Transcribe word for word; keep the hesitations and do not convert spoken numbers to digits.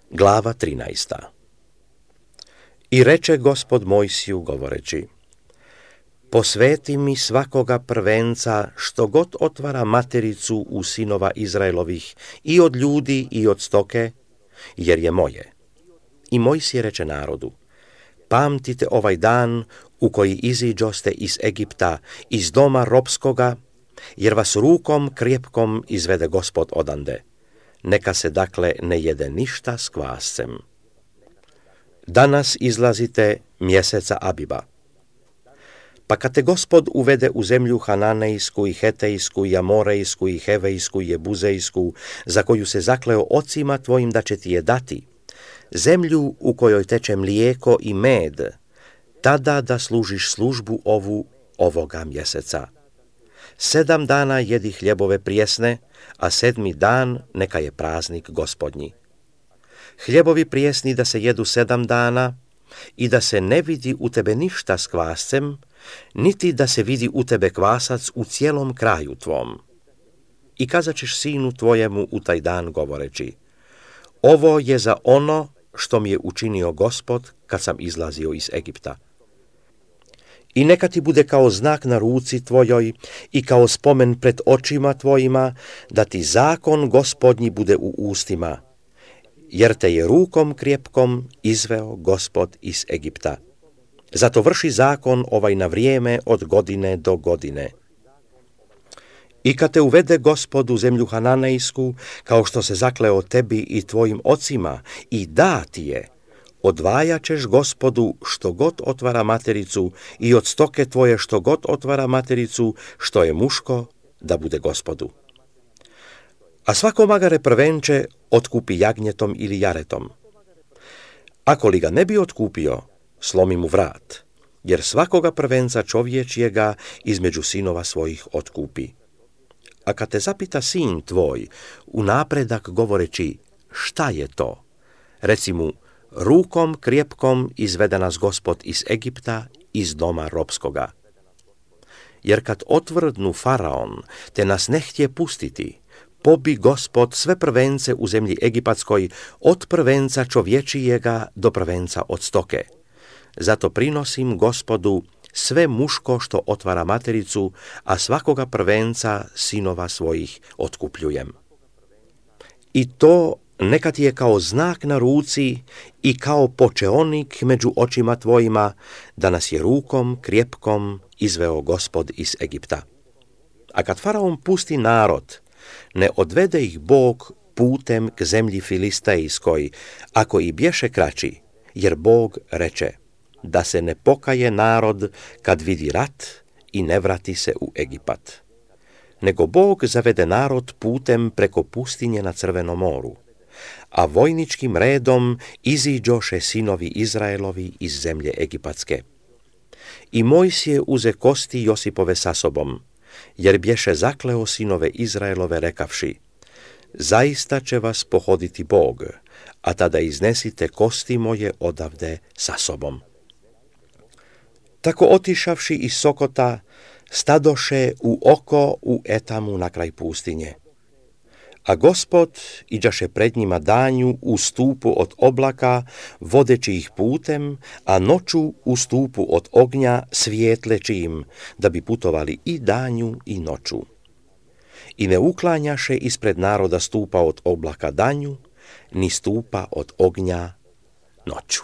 Glava trinaesta. I reče Gospod Mojsiju govoreći: posveti mi svakoga prvenca što god otvara matericu u sinova Izraelovih, i od ljudi i od stoke, jer je moje. I Mojsije reče narodu: pamtite ovaj dan u koji iziđoste iz Egipta, iz doma ropskoga, jer vas rukom krjepkom izvede Gospod odande. Neka se dakle ne jede ništa s kvascem. Danas izlazite mjeseca Abiba. Pa kad te Gospod uvede u zemlju Hananejsku i Hetejsku i Amorejsku i Hevejsku i Jebuzejsku, za koju se zakleo ocima tvojim da će ti je dati, zemlju u kojoj teče mlijeko i med, tada da služiš službu ovu ovoga mjeseca. Sedam dana jedi hljebove prijesne, a sedmi dan neka je praznik Gospodnji. Hljebovi prijesni da se jedu sedam dana i da se ne vidi u tebe ništa s kvascem, niti da se vidi u tebe kvasac u cijelom kraju tvom. I kazat ćeš sinu tvojemu u taj dan govoreći: ovo je za ono što mi je učinio Gospod kad sam izlazio iz Egipta. I neka ti bude kao znak na ruci tvojoj i kao spomen pred očima tvojima, da ti zakon Gospodnji bude u ustima, jer te je rukom krjepkom izveo Gospod iz Egipta. Zato vrši zakon ovaj na vrijeme od godine do godine. I kad te uvede Gospod u zemlju Hananejsku, kao što se zakleo tebi i tvojim ocima, i da ti je, odvajat ćeš Gospodu što god otvara matericu i od stoke tvoje što god otvara matericu, što je muško, da bude Gospodu. A svako magare prvenče otkupi jagnjetom ili jaretom. Ako li ga ne bi otkupio, slomi mu vrat, jer svakoga prvenca čovječjega između sinova svojih otkupi. A kad te zapita sin tvoj, u napredak govoreći: šta je to? Reci mu: rukom krjepkom izvede nas Gospod iz Egipta, iz doma ropskoga. Jer kad otvrdnu Faraon, te nas ne htje pustiti, pobi Gospod sve prvence u zemlji egipatskoj, od prvenca čovječijega do prvenca od stoke. Zato prinosim Gospodu sve muško što otvara matericu, a svakoga prvenca sinova svojih otkupljujem. I to neka ti je kao znak na ruci i kao počeonik među očima tvojima, da nas je rukom krjepkom izveo Gospod iz Egipta. A kad Faraon pusti narod, ne odvede ih Bog putem k zemlji Filistejskoj, ako i bješe kraći, jer Bog reče: da se ne pokaje narod kad vidi rat i ne vrati se u Egipat. Nego Bog zavede narod putem preko pustinje na Crvenom moru, a vojničkim redom iziđoše sinovi Izraelovi iz zemlje egipatske. I Mojsije uze kosti Josipove sa sobom, jer bješe zakleo sinove Izraelove rekavši: zaista će vas pohoditi Bog, a tada iznesite kosti moje odavde sa sobom. Tako otišavši iz Sokota, stadoše u oko u Etamu na kraj pustinje. A Gospod iđaše pred njima danju u stupu od oblaka, vodeći ih putem, a noću u stupu od ognja svijetleći im, da bi putovali i danju i noću. I ne uklanjaše ispred naroda stupa od oblaka danju, ni stupa od ognja noću.